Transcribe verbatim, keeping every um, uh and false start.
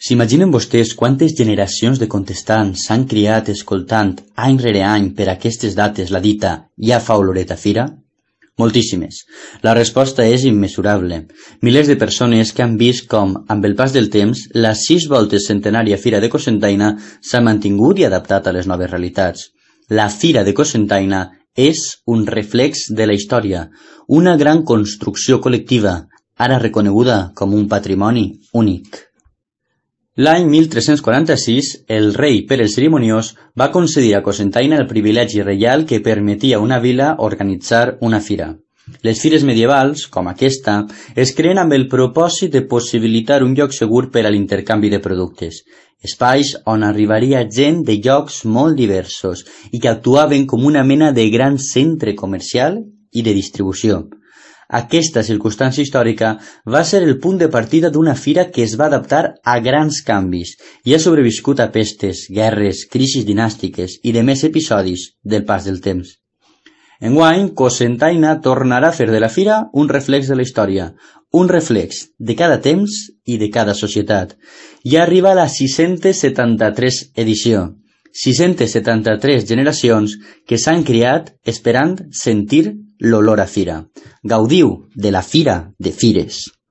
S'imaginen vostès quantes generacions de contestants s'han criat escoltant any rere any per aquestes dates la dita «ja fa oloret a fira»? Moltíssimes. La resposta és immesurable. Milers de persones que han vist com, amb el pas del temps, la sis voltes centenària Fira de Cocentaina s'ha mantingut i adaptat a les noves realitats. La Fira de Cocentaina és un reflex de la història, una gran construcció col·lectiva, ara reconeguda com un patrimoni únic. L'any mil tres-cents quaranta-sis, el rei Pere el Cerimoniós va concedir a Cocentaina el privilegi reial que permetia a una vila organitzar una fira. Les fires medievals, com aquesta, es creen amb el propòsit de possibilitar un lloc segur per a l'intercanvi de productes, espais on arribaria gent de llocs molt diversos i que actuaven com una mena de gran centre comercial i de distribució. Aquesta circumstància històrica va ser el punt de partida d'una fira que es va adaptar a grans canvis i ha sobreviscut a pestes, guerres, crisis dinàstiques i de més episodis del pas del temps. Enguany, Cocentaina tornarà a fer de la fira un reflex de la història, un reflex de cada temps i de cada societat. Ja arriba a la sis-centes setanta-tres edició, sis-centes setanta-tres generacions que s'han criat esperant sentir l'olor a fira. Gaudiu de la Fira de Fires.